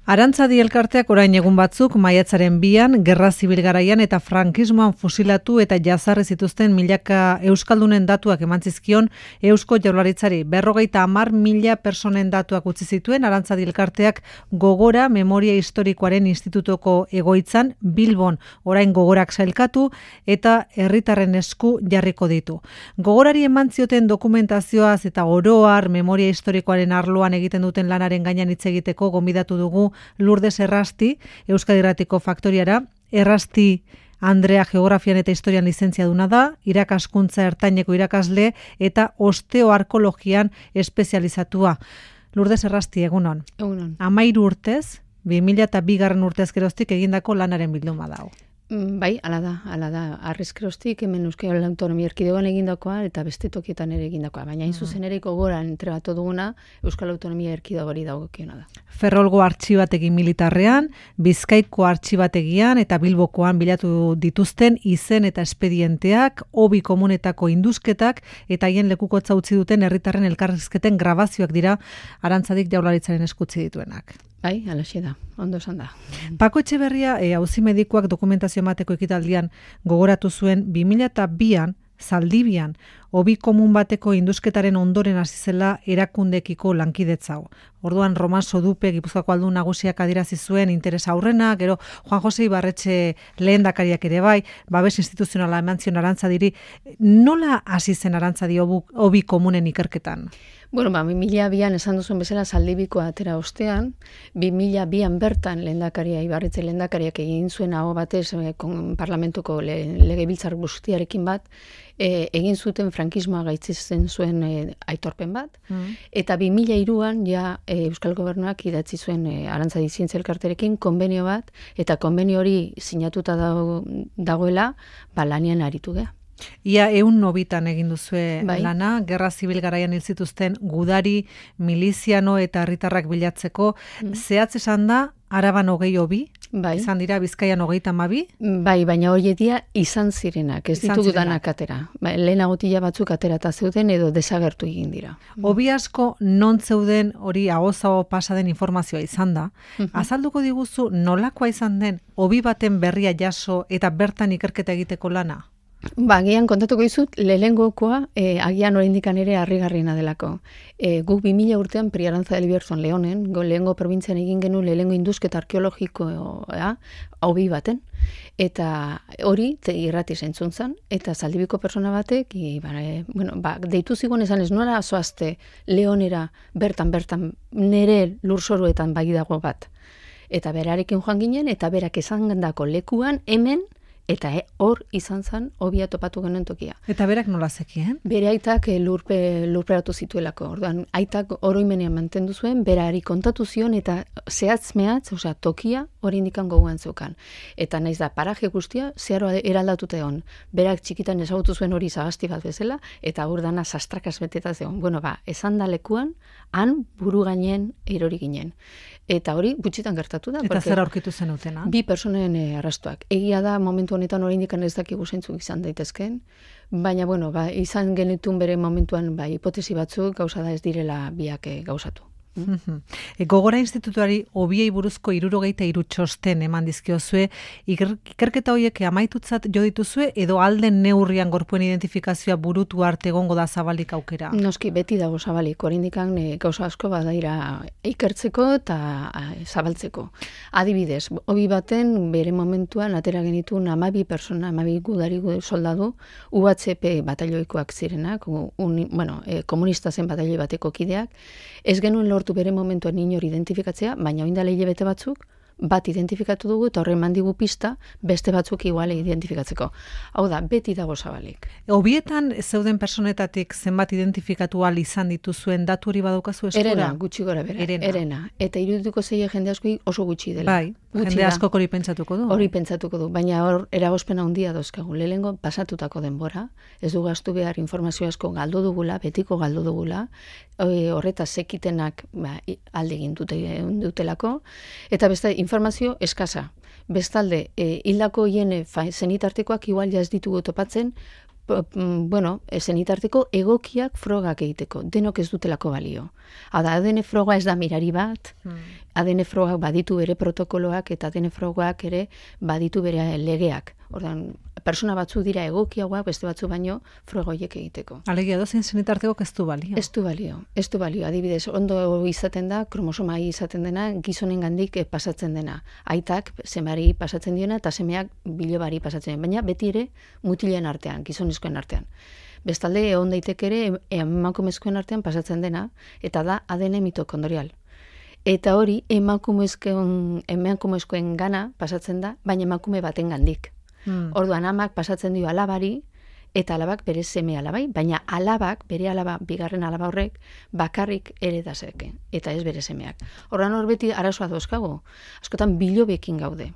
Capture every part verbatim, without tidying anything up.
Arantzadi elkarteak orain egun batzuk maiatzaren bian, gerra zibil garaian eta frankismoan fusilatu eta jazarri zituzten milaka euskaldunen datuak eman zizkion Eusko Jaurlaritzari. Berrogeita hamar mila personen datuak utzi zituen Arantzadi elkarteak Gogora Memoria Historikoaren Institutoko egoitzan Bilbon, orain Gogorak sailkatu eta herritarren esku jarriko ditu. Gogorari eman zioten dokumentazioaz eta oroar memoria historikoaren arloan egiten duten lanaren gainean hitz egiteko gonbidatu dugu Lourdes Errasti, Euskadi Irratiko Faktoriara. Errasti Andrea geografian eta historian lizentziaduna da, irakaskuntza ertaineko irakasle eta osteoarkologian espezializatua. Lourdes Errasti, egunon. Egunon. Amairu urtez, bi mila eta bigarren urtez geroztik egindako lanaren bilduma dago. Bai, ala da, ala da. Arrizkeroztik hemen Euskal Autonomia Erkidegoan egindakoa eta beste tokietan ere egindakoa. Baina hain zuzen ere Gogoran entregatu duguna Euskal Autonomia Erkidegori dagokiona da. Ferrolgo artxibategi militarrean, Bizkaiko artxibategian eta Bilbokoan bilatu dituzten izen eta espedienteak, hobi komunetako induzketak eta haien lekukotza utzi duten herritarren elkarrizketen grabazioak dira Arantzadik Jaurlaritzaren eskutzi dituenak. Bai, alaxe da, ondo esan da. Pako Etxeberria, e, auzi medikuak dokumentazio emateko ekitaldian gogoratu zuen bi mila eta bian, Zaldibian, hobi komun bateko induzketaren ondoren hasi zela erakundekiko lankidetzau. Orduan Roman Sodupe, Gipuzkoako aldun nagusiak adierazi zuen interesa aurrena, gero Juan Jose Ibarretxe lehendakariak ere bai, babes instituzionala eman zion Arantzadiri. Nola hasi zen Arantzadi hobi komunen ikerketan? Bueno, ba, bi mila bian esan duzuen bezala Zaldibikoa atera ostean, bi mila bian bertan lehendakaria, Ibarretxe lehendakariak egin zuen aho batez eh, parlamentuko le, legebiltzar guztiarekin bat, eh, egin zuten frankismoa gaitzitzen zuen eh, aitorpen bat, mm. eta bi mila hiruan ja eh, Euskal Gobernuak idatzi zuen eh, Arantzadi Zientzia Elkarterekin konbenio bat, eta konbenio hori sinatuta dago, dagoela, ba, lanian aritu geha. Ia eun nobitan egin duzue bai. Lana, gerra zibil garaian hil zituzten gudari, miliziano eta herritarrak bilatzeko. Mm. Zehatz esan da, Araban hogei hobi, bai. Izan dira Bizkaian hogeita hamabi? Bai, baina horietia izan zirenak, ez izan ditugu zirenak. danak atera. Ba, lehenagotila batzuk aterata zeuden edo desagertu egin dira. Hobi asko non zeuden hori agozago pasa den informazioa izan da. Uh-huh. Azalduko diguzu nolakoa izan den hobi baten berria jaso eta bertan ikerketa egiteko lana? Ba, agian kontatuko dizut, lehengokoa, eh, agian oraindikan ere harrigarriena delako. Eh, guk bi mila urtean Pri Arantza del Bierzon Leonen, go lehengo probintzian egin genuen lehengo induzketa arkeologikoa, hobi baten, eta hori irrati zentzun zen, eta Zaldibiko persona batek, i, ba, e, bueno, ba, deitu zigon esan ez nola zoazte Leonera bertan-bertan nere lurzoruetan bai dago bat. Eta berarekin joan ginen, eta berak esan dako lekuan hemen, eta hor e, izan zen hobia topatu genuen tokia. Eta berak nola zekien? Bere aitak e, lurpe, lurperatu zituelako. Orduan, aitak oroimenean mantendu zuen, berari kontatu zion eta zehatz mehatz, osea, tokia hori indikan goguan zeukan. Eta naiz da, paraje guztia, zeharo eraldatuta egon. Berak txikitan ezagutu zuen hori zagasti bat bezala, eta hor dana sastrakas beteta zegoen. Bueno, ba, esan da lekuan, han buru gainen erori ginen. Eta hori gutxitan gertatu da. Eta zer aurkitu zenutena? Bi personen e, arrastuak. Egia da, momentu honetan oraindik ez dakigu zeintzuk izan daitezkeen, baina bueno, ba, izan genitun bere momentuan ba, hipotesi batzuk gauza da ez direla biak e, gauzatu. Mm? E, Gogora Institutuari hobiei buruzko hirurogeita hiru txosten eman dizkiozue, ikerketa horiek amaitutzat jo dituzue edo alden neurrian gorpuen identifikazioa burutu arte egongo da zabalik aukera? Noski, beti dago zabalik, oraindikan e, gauza asko badaira ikertzeko eta a, zabaltzeko. Adibidez, hobi baten bere momentuan atera genituen hamabi persona, hamabi gudari soldadu, U H P batalloikoak zirenak, un, bueno, e, komunista zen batalloi bateko kideak, ez genuen lortu bere momentuan inor identifikatzea, baina oindale hilabete batzuk, bat identifikatu dugu eta horren mandigu pista, beste batzuk iguale identifikatzeko. Hau da, beti dago zabalik. Hobietan zeuden personetatik zenbat identifikatu ahal izan dituzuen datu hori badaukazu eskura? Erena, gutxi gora bera. Erena. Erena. Eta irudituko zeie jende asko oso gutxi dela. Bai, gutxi jende da. asko hori pentsatuko du. Hori pentsatuko du, baina hor eragozpena handia dauzkagu. Lehengo pasatutako denbora, ez du gastu behar informazio asko galdu dugula, betiko galdu dugula, horretaz sekitenak ba, alde egin dute, dutelako, eta beste informazio eskasa. Bestalde, e, hildako hien zenitartekoak igual ja ez ditugu topatzen, bueno, zenitarteko egokiak frogak egiteko, denok ez dutelako balio. Hau da, A D N froga ez da mirari bat, hmm. A D N frogak baditu bere protokoloak eta A D N frogak ere baditu bere legeak. Ordan, persona batzu dira egokiagoak, beste batzu baino frogoiek egiteko. Alegia dozen zenitarteko ez du balio. Ez du balio, ez du balio. Adibidez, ondo izaten da, kromosoma izaten dena, gizonen gandik pasatzen dena. Aitak semari pasatzen diona eta semeak bilobari pasatzen dena. Baina beti ere mutilen artean, gizonezkoen artean. Bestalde, egon daiteke ere emakumezkoen artean pasatzen dena, eta da A D N mitokondrial. Eta hori emakumezkoen, emakumezkoen gana pasatzen da, baina emakume baten gandik. Hmm. Orduan amak pasatzen dio alabari, eta alabak bere seme alabai, baina alabak, bere alaba, bigarren alaba horrek, bakarrik ere dazeke, eta ez bere semeak. Orduan hor beti arazoa dauzkago, askotan bilobekin gaude.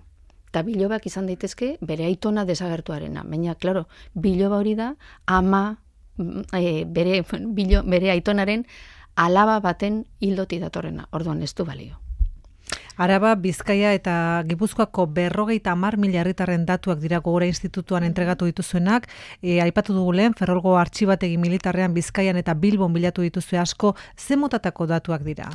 Eta bilobak izan daitezke bere aitona desagertuarena. Baina, klaro, biloba hori da ama e, bere, bilo, bere aitonaren alaba baten hildoti datorrena. Orduan ez du balio. Araba, Bizkaia eta Gipuzkoako berrogeita hamar mila herritarren datuak dira Gogora Institutuan entregatu dituzuenak. E, aipatu dugu lehen, Ferrolgo artxibategi militarrean Bizkaian eta Bilbon bilatu dituzue asko, ze motatako datuak dira?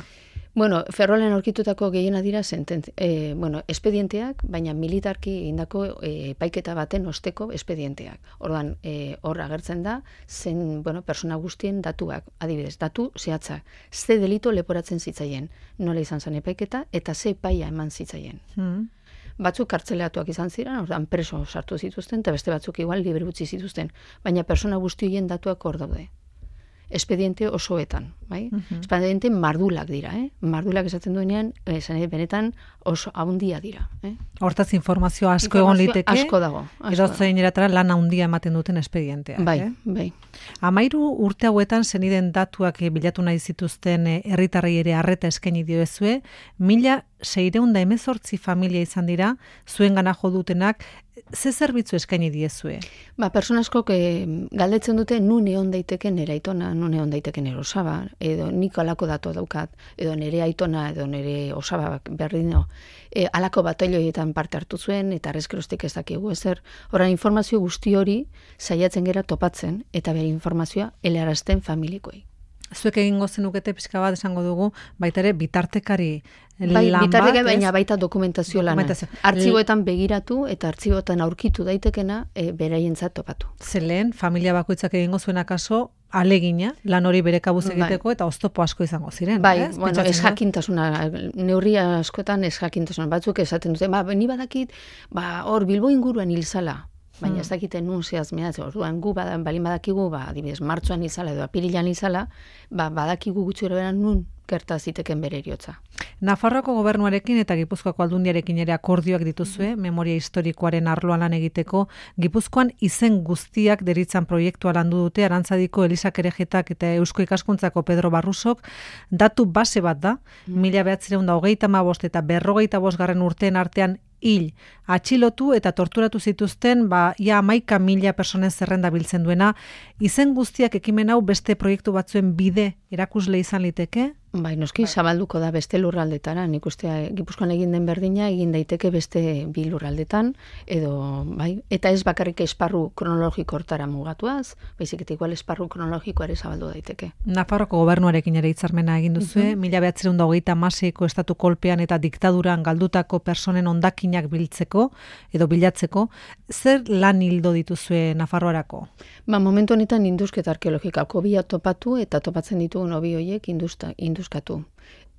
Bueno, Ferrolen aurkitutako gehiena dira sentent, eh, bueno, espedienteak, baina militarki indako eh, epaiketa baten osteko espedienteak. Orduan, eh, hor agertzen da, zen, bueno, persona guztien datuak, adibidez, datu zehatzak, ze delito leporatzen zitzaien, nola izan zen epaiketa, eta ze epaia eman zitzaien. Hmm. Batzuk kartzeleatuak izan ziren, orduan preso sartu zituzten, eta beste batzuk igual libre utzi zituzten, baina persona guztien datuak hor daude. Espediente osoetan, bai? Uh-huh. Espediente mardulak dira, eh? Mardulak esaten duenean, esan benetan oso handia dira, eh? Hortaz informazio asko egon liteke. Asko dago. Edo zein eratara lan handia ematen duten espedienteak, bai, eh? Bai. Amairu urte hauetan zeniden datuak bilatu nahi zituzten herritarrei ere arreta eskaini diozue, mila seiehun eta hemezortzi familia izan dira, zuengana jo dutenak, ze zerbitzu eskaini diezue? Ba, persona askok galdetzen dute nun egon daiteke nere aitona, nun egon daiteke nere osaba, edo nik alako datu daukat, edo nere aitona, edo nere osaba berdino, e, alako batailioetan parte hartu zuen, eta arrezkerostik ez dakigu ezer. Horren informazio guzti hori saiatzen gera topatzen, eta bere informazioa helarazten familikoei. Zuek egingo zenukete pixka bat esango dugu, baita ere bitartekari bai, lan bitartekari, bat, baina baita dokumentazio lana. Artxiboetan begiratu eta artxiboetan aurkitu daitekena e, beraientzat topatu. Zelen, familia bakoitzak egingo zuen akaso, alegina, lan hori bere kabuz egiteko, bai. Eta oztopo asko izango ziren. Bai, ez, bueno, ez jakintasuna, neurria askotan ez jakintasuna, batzuk esaten dute, ba, ni badakit, ba, hor Bilbo inguruan hilzala. Baina ez dakiten nun zehaz mehatze, orduan gu badan, balin badakigu, ba, adibidez, martxoan izala edo apirilan izala, ba, badakigu gutxi beran nun gerta ziteken bere eriotza. Nafarroako gobernuarekin eta Gipuzkoako aldundiarekin ere akordioak dituzue, mm-hmm. memoria historikoaren arloan lan egiteko, Gipuzkoan izen guztiak deritzan proiektua landu dute, Arantzadiko Elisa Kerejetak eta Eusko Ikaskuntzako Pedro Barrusok, datu base bat da, mm-hmm. mila behatzireun da hogeita hamabost eta berrogeita bosgarren urteen artean hil, atxilotu eta torturatu zituzten, ba, ia hamaika mila personen zerrenda biltzen duena, izen guztiak ekimen hau beste proiektu batzuen bide erakusle izan liteke? Bai, noski, bai. Zabalduko da beste lurraldetara, nik uste Gipuzkoan egin den berdina, egin daiteke beste bi lurraldetan, edo, bai, eta ez bakarrik esparru kronologiko hortara mugatuaz, baizik eta igual esparru kronologikoa ere zabaldu daiteke. Nafarroako gobernuarekin ere hitzarmena egin duzue, uh-huh. mila behatzireun da hogeita hamaseiko estatu kolpean eta diktaduran galdutako personen ondakinak biltzeko, edo bilatzeko, zer lan hildo dituzue Nafarroarako? Ba, momentu honetan induzketa arkeologikako bi topatu eta topatzen ditugun hobi horiek industa, induzkatu.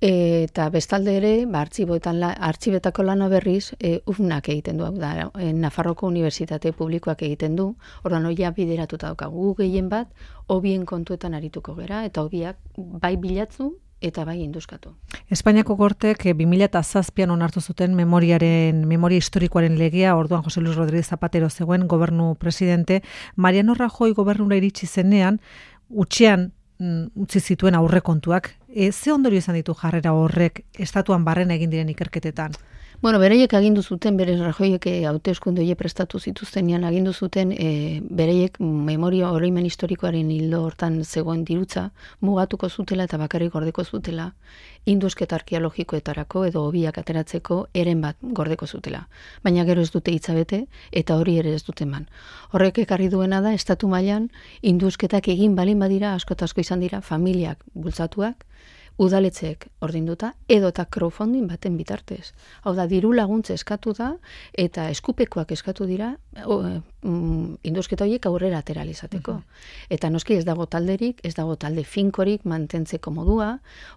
E, eta bestalde ere, ba, artxiboetan la, artxibetako lana berriz, e, U F Nak egiten du, da, e, Nafarroko Unibertsitate Publikoak egiten du, orduan hoia bideratuta daukagu gehien bat, hobien kontuetan arituko gera, eta hobiak bai bilatzu, eta bai induzkatu. Espainiako Gortek bi mila zazpian onartu zuten memoriaren, memoria historikoaren legea, orduan Jose Luis Rodríguez Zapatero zegoen gobernu presidente, Mariano Rajoy gobernura iritsi zenean, utxean mm, utzi zituen aurrekontuak. E, ze ondorio izan ditu jarrera horrek estatuan barren egin diren ikerketetan? Bueno, bereiek agindu zuten, berez Rajoiek hauteskunde horiek prestatu zituztenean agindu zuten, e, bereiek memoria oroimen historikoaren hildo hortan zegoen dirutza, mugatuko zutela eta bakarrik gordeko zutela, indusketa arkeologikoetarako edo hobiak ateratzeko eren bat gordeko zutela. Baina gero ez dute hitzabete eta hori ere ez dute eman. Horrek ekarri duena da, estatu mailan indusketak egin balin badira, asko eta asko izan dira, familiak bultzatuak, udaletxeek ordinduta, edo eta crowdfunding baten bitartez. Hau da, diru laguntza eskatu da, eta eskupekoak eskatu dira, o, mm, indusketa horiek aurrera ateralizateko. Uh-huh. Eta noski ez dago talderik, ez dago talde finkorik mantentzeko modua,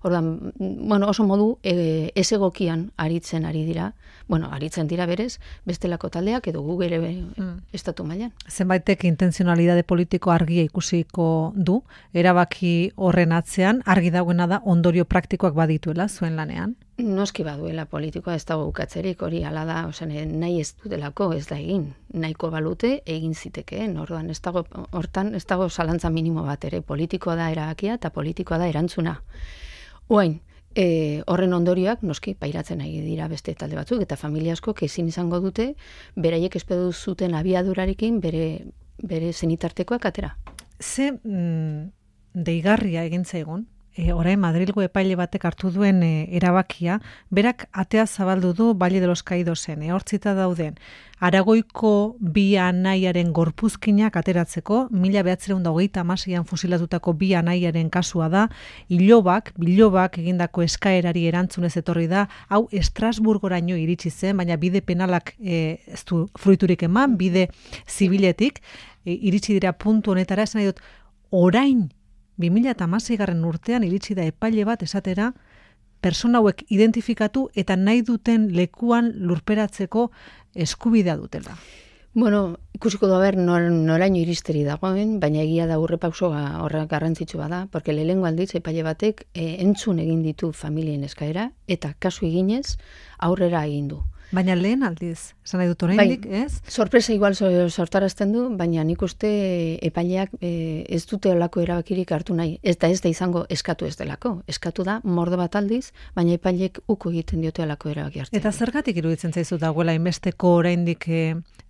ordan, bueno, oso modu e, ez egokian aritzen ari dira, bueno, aritzen dira berez, bestelako taldeak edo gu ere mm. estatu mailan. Zenbaitek intenzionalidade politiko argia ikusiko du, erabaki horren atzean, argi dagoena da ondorio praktikoak badituela zuen lanean? Noski baduela politikoa ez dago ukatzerik, hori hala da, osen, nahi ez dutelako ez da egin. Nahiko balute egin zitekeen, orduan ez dago, hortan ez dago zalantza minimo bat ere, politikoa da erabakia eta politikoa da erantzuna. Oain, e, horren ondorioak noski pairatzen nahi dira beste talde batzuk, eta familia askok ezin izango dute, beraiek espedu zuten abiadurarekin bere, bere zenitartekoak atera. Ze mm, deigarria egin zaigun? E, orain Madrilgo epaile batek hartu duen e, erabakia, berak atea zabaldu du Valle de los Caidosen, e, hortzita dauden, Aragoiko bi anaiaren gorpuzkinak ateratzeko, mila behatziehun eta hogeita hamaseian fusilatutako bi anaiaren kasua da, ilobak, bilobak egindako eskaerari erantzunez etorri da, hau Estrasburgoraino iritsi zen, baina bide penalak e, ez du fruiturik eman, bide zibiletik, e, iritsi dira puntu honetara, esan nahi dut, orain, bi mila hamaseigarren urtean iritsi da epaile bat esatera persona hauek identifikatu eta nahi duten lekuan lurperatzeko eskubidea dutela. Bueno, ikusiko da ber nor, noraino iristeri dagoen, baina egia da urrepausoa horrek garrantzitsua da, porque lehengo aldiz epaile batek e, entzun egin ditu familien eskaera eta kasu eginez aurrera egin du. Baina lehen aldiz, esan nahi dut oraindik, bai, ez? Sorpresa igual sortarazten du, baina nik uste epaileak e, ez dute olako erabakirik hartu nahi. Ez da ez da izango eskatu ez delako. Eskatu da mordo bat aldiz, baina epaileek uko egiten diote olako erabaki hartzen. Eta zergatik iruditzen zaizu dagoela inbesteko oraindik e,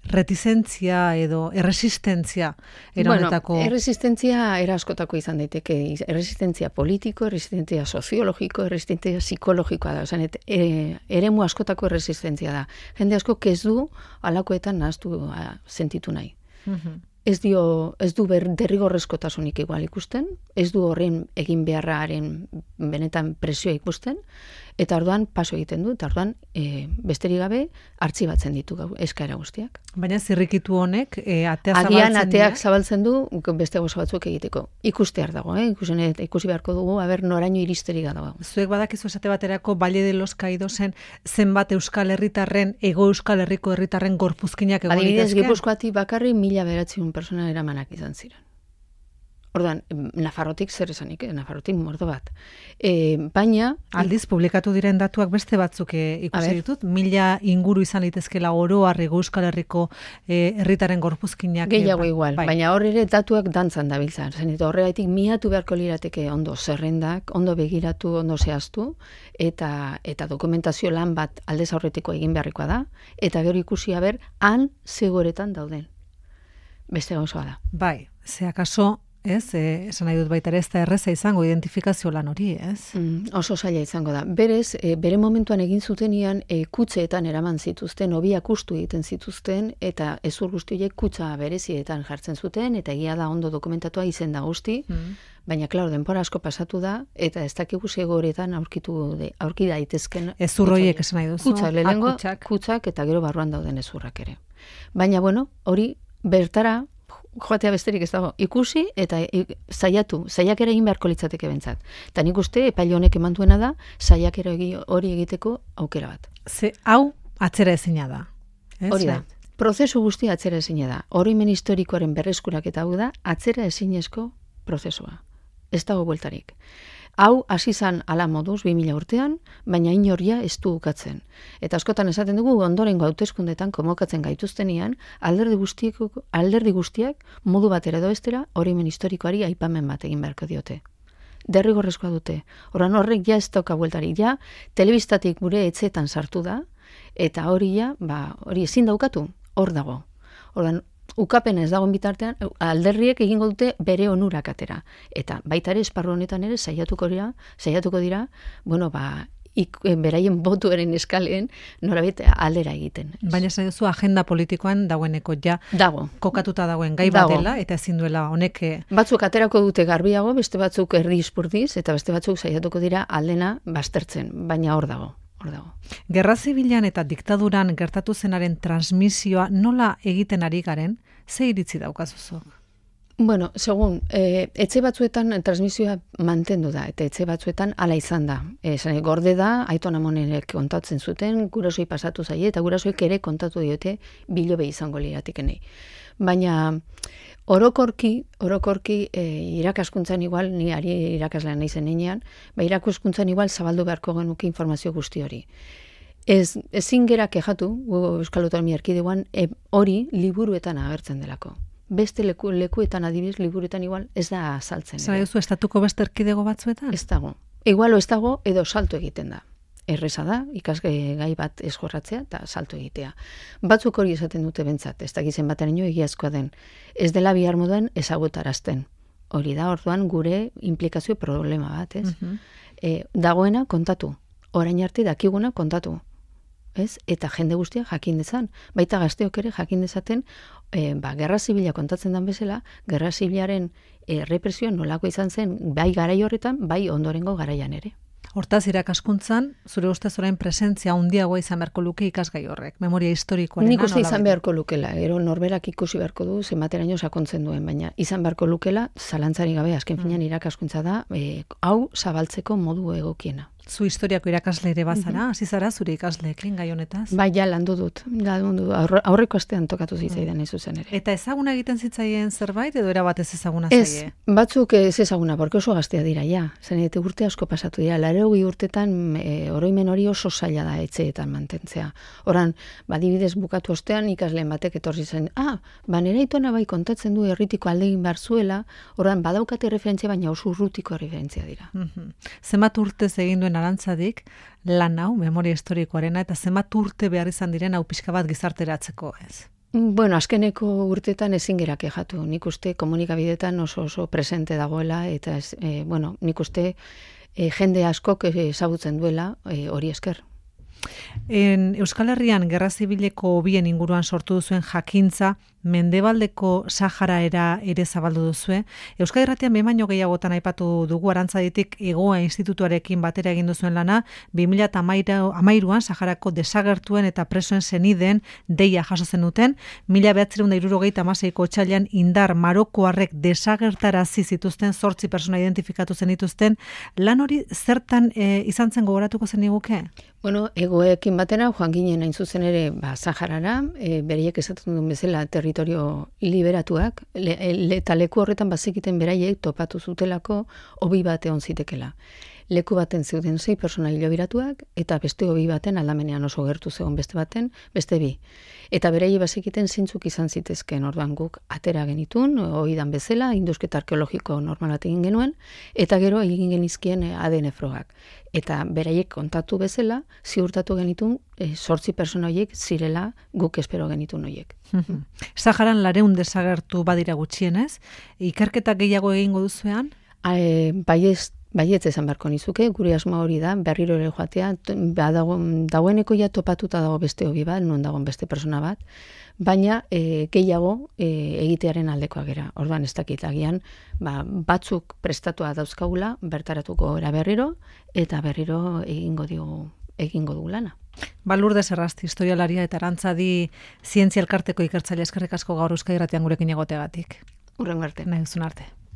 retizentzia edo erresistentzia eronetako? Bueno, erresistentzia era askotako izan daiteke. Erresistentzia politiko, erresistentzia soziologiko, erresistentzia psikologikoa da. Osan, et, e, eremu askotako erresistentzia da. Jende asko ez du alakoetan nahaztu sentitu nahi. Uh-huh. Ez dio, ez du ber, derrigorrezkotasunik igual ikusten, ez du horren egin beharraren benetan presioa ikusten, eta orduan paso egiten du, eta orduan e, besterik gabe artxibatzen ditu gau, eskaera guztiak. Baina zirrikitu honek e, atea zabaltzen Agian ateak dira? Zabaltzen du beste gozo batzuk egiteko. Ikustear dago, eh? Ikusi, ikusi beharko dugu, aber noraino iristerik dago. Zuek badakizu esate baterako Valle de los Caidosen zenbat Euskal Herritarren, Ego Euskal Herriko herritarren gorpuzkinak egon litezke? Adibidez, Gipuzkoatik bakarri mila bederatziehun persona eramanak izan ziren. Ordan, Nafarrotik zer esanik, eh? Nafarrotik mordo bat. E, baina... Aldiz, publikatu diren datuak beste batzuk ikusi ditut, mila inguru izan litezkela oro Ego Euskal Herriko eh, herritaren gorpuzkinak. Gehiago igual, bai. Baina hor ere datuak dantzan dabiltza. Zenit, horregatik miatu beharko lirateke ondo zerrendak, ondo begiratu, ondo zehaztu, eta eta dokumentazio lan bat aldez aurretiko egin beharrikoa da, eta gero ikusi haber, han zegoeretan dauden. Beste gauzoa da. Bai, ze akaso... Ez, eh, esan nahi dut baita ere ez da erreza izango identifikazio lan hori, ez? Mm, oso zaila izango da. Berez, e, bere momentuan egin zutenian e, kutseetan eraman zituzten, hobiak ustu egiten zituzten, eta ezur guztiek kutsa berezietan jartzen zuten, eta egia da ondo dokumentatua izen da guzti, mm. baina, klaro, denpora asko pasatu da, eta ez dakigu zegoeretan aurkitu de, aurki daitezken... Ezur horiek esan nahi duzu? Kutsak, lehenengo, kutsak, eta gero barruan dauden ezurrak ere. Baina, bueno, hori bertara... joatea besterik ez dago, ikusi eta saiatu, saiakera egin beharko litzateke bentsat. Eta nik uste epaile honek eman duena da, saiakera hori egiteko aukera bat. Ze hau atzera ezina da. Ez? Hori da. Prozesu guztia atzera ezina da. Oroimen historikoaren berreskurak eta hau da, atzera ezinezko prozesua. Ez dago bueltarik. Hau hasi zan ala moduz bi mila urtean, baina inoria ez du ukatzen. Eta askotan esaten dugu ondorengo hauteskundetan komokatzen gaituztenean, alderdi guztiak, alderdi guztiak modu batera edo bestera oroimen historikoari aipamen bat egin beharko diote. Derrigorrezkoa dute. Oran horrek ja ez dauka bueltarik, ja telebistatik gure etxeetan sartu da, Eta hori ja, ba, hori ezin daukatu, hor dago. Ordan ukapena ez dagoen bitartean, alderriek egingo dute bere onurak atera. Eta baita ere, esparru honetan ere, saiatuko dira, saiatuko dira, bueno, ba, Ik, beraien botuaren eskalen norabait aldera egiten. Baina esan duzu agenda politikoan dagoeneko ja dago. Kokatuta dagoen gai bat dela eta ezin duela honek. Batzuk aterako dute garbiago, beste batzuk erdi ispurdiz eta beste batzuk saiatuko dira aldena baztertzen, baina hor dago. Hor dago. Gerra zibilan eta diktaduran gertatu zenaren transmisioa nola egiten ari garen, ze iritzi daukazuzok? Bueno, segun, e, etxe batzuetan transmisioa mantendu da, eta etxe batzuetan hala izan da. E, gorde da, Aiton Amonerek kontatzen zuten, gurasoi pasatu zaie, eta gurasoik ere kontatu diote bilobe izango liratikenei. Baina orokorki, orokorki e, irakaskuntzan igual, ni ari irakaslean naizen heinean, ba irakaskuntzan igual zabaldu beharko genuke informazio guzti hori. Ez, ezin gera kejatu, Euskal Autonomia Erkidegoan, e, hori liburuetan agertzen delako. Beste leku, lekuetan adibidez, liburuetan igual ez da saltzen. Zara duzu, estatuko beste erkidego batzuetan? Ez dago. Igualo ez dago edo salto egiten da. Erreza da, ikasgai bat ez jorratzea eta salto egitea. Batzuk hori esaten dute bentsat, ez dakizen baten ino egiazkoa den. Ez dela bihar modan ezagutarazten. Hori da, orduan gure implikazio problema bat, ez? Uh-huh. E, dagoena kontatu. Orain arte dakiguna kontatu. Ez? Eta jende guztia jakin dezan. Baita gazteok ere jakin dezaten, e, ba, gerra zibila kontatzen dan bezala, gerra zibilaren e, represioa nolako izan zen, bai garai horretan, bai ondorengo garaian ere. Hortaz, irakaskuntzan, zure ustez orain presentzia handiagoa izan beharko luke ikasgai horrek, memoria historikoaren. Nik uste izan beharko lukela, gero norberak ikusi beharko du, zenbateraino sakontzen duen, baina izan beharko lukela, zalantzari gabe, azken finean irakaskuntza da, e, hau zabaltzeko modu egokiena. Zu historiako irakasle ere bazara, hasi zara zure ikasleekin gai honetaz? Bai, ja, landu dut. Landu dut. Aurreko astean tokatu zitzaidan ez zuzen ere. Eta ezaguna egiten zitzaien zerbait edo era batez ezaguna zaie? Ez, batzuk ez ezaguna, porque oso gaztea dira, ja. Zen eta urte asko pasatu dira. Laurogei urtetan e, oroimen hori oso zaila da etxeetan mantentzea. Horan, badibidez bukatu ostean ikasleen batek etorri zen, ah, ba nera itona bai kontatzen du herritiko aldegin behar zuela, horan badaukate referentzia, baina oso urrutiko referentzia dira. Mm-hmm. Zenbat urtez egin duen Arantzadik lan hau, memoria historikoarena, eta zenbat urte behar izan diren hau pixka bat gizarteratzeko, ez? Bueno, azkeneko urtetan ezin gera kejatu. Nik uste komunikabidetan oso oso presente dagoela, eta ez, e, bueno, nik uste e, jende askok ezagutzen duela e, hori esker. En Euskal Herrian Gerra Zibileko hobien inguruan sortu duzuen jakintza, Mendebaldeko Saharaera ere zabaldu duzue. Euskal Herratian behin baino gehiagotan aipatu dugu Arantzaditik Hegoa Institutuarekin batera egin duzuen lana, bi mila hamairuan Saharako desagertuen eta presoen senideen deia jaso zenuten, mila bederatziehun eta hirurogeita hamaseiko otsailean indar marokoarrek desagertarazi zituzten zortzi pertsona identifikatu zenituzten, lan hori zertan e, izan zen gogoratuko zeniguke? Bueno, egoekin batera joan ginen hain zuzen ere ba, Saharara, e, bereiek esaten duen bezala territorio liberatuak, le, le, eta leku horretan bazekiten beraiek topatu zutelako hobi bat egon zitekela. Leku baten zeuden sei pertsona hilobiratuak, eta beste hobi baten aldamenean oso gertu zegoen beste baten, beste bi. Eta beraiek bazekiten zeintzuk izan zitezken, orduan guk atera genitun, oidan bezala, indusketa arkeologiko normal bat egin genuen, eta gero egin genizkien A D N frogak. Eta beraiek kontatu bezala, ziurtatu genitun, e, sortzi pertsona horiek zirela guk espero genitun horiek. Saharan lareun desagertu badira gutxienez, ikerketa gehiago egingo duzuean? E, Baiez, baietz esan beharko nizuke, gure asma hori da, berriro ere joatea, badago, dagoeneko ja topatuta dago beste hobi bat, non dagoen beste persona bat, baina e, gehiago e, egitearen aldekoa gera. Orduan ez dakit agian, ba, batzuk prestatua dauzkagula, bertaratuko era berriro, eta berriro egingo digu, egingo dugu lana. Ba, Lourdes Errasti, historialaria eta Arantzadi zientzia elkarteko ikertzaile, eskerrik asko gaur Euskadi Irratian gurekin egoteagatik. Hurrengo arte. Nahi duzun arte.